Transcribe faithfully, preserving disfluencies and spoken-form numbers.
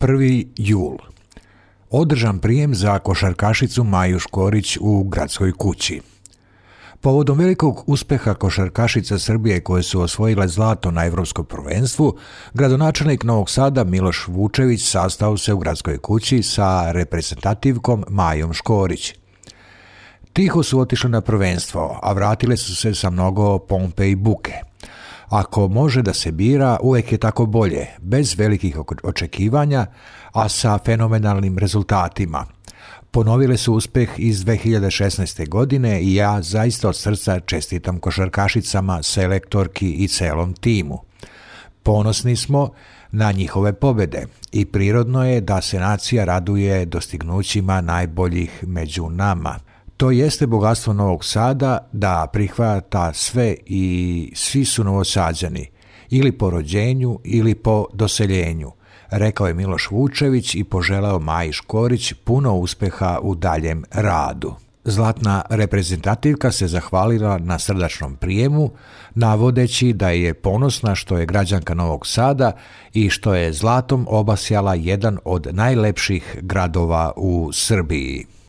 prvi jul. Održan prijem za košarkašicu Maju Škorić u Gradskoj kući. Povodom velikog uspeha košarkašica Srbije koje su osvojile zlato na Evropskom prvenstvu, gradonačelnik Novog Sada Miloš Vučević sastao se u Gradskoj kući sa reprezentativkom Majom Škorić. Tiho su otišli na prvenstvo, a vratile su se sa mnogo pompe i buke. Ako može da se bira, uvek je tako bolje, bez velikih očekivanja, a sa fenomenalnim rezultatima. Ponovile su uspeh iz dve hiljade šesnaeste. godine i ja zaista od srca čestitam košarkašicama, selektorki i celom timu. Ponosni smo na njihove pobede i prirodno je da se nacija raduje dostignućima najboljih među nama. To jeste bogatstvo Novog Sada da prihvata sve i svi su Novosađani, ili po rođenju ili po doseljenju, rekao je Miloš Vučević i poželeo Maji Škorić puno uspeha u daljem radu. Zlatna reprezentativka se zahvalila na srdačnom prijemu, navodeći da je ponosna što je građanka Novog Sada i što je zlatom obasjala jedan od najlepših gradova u Srbiji.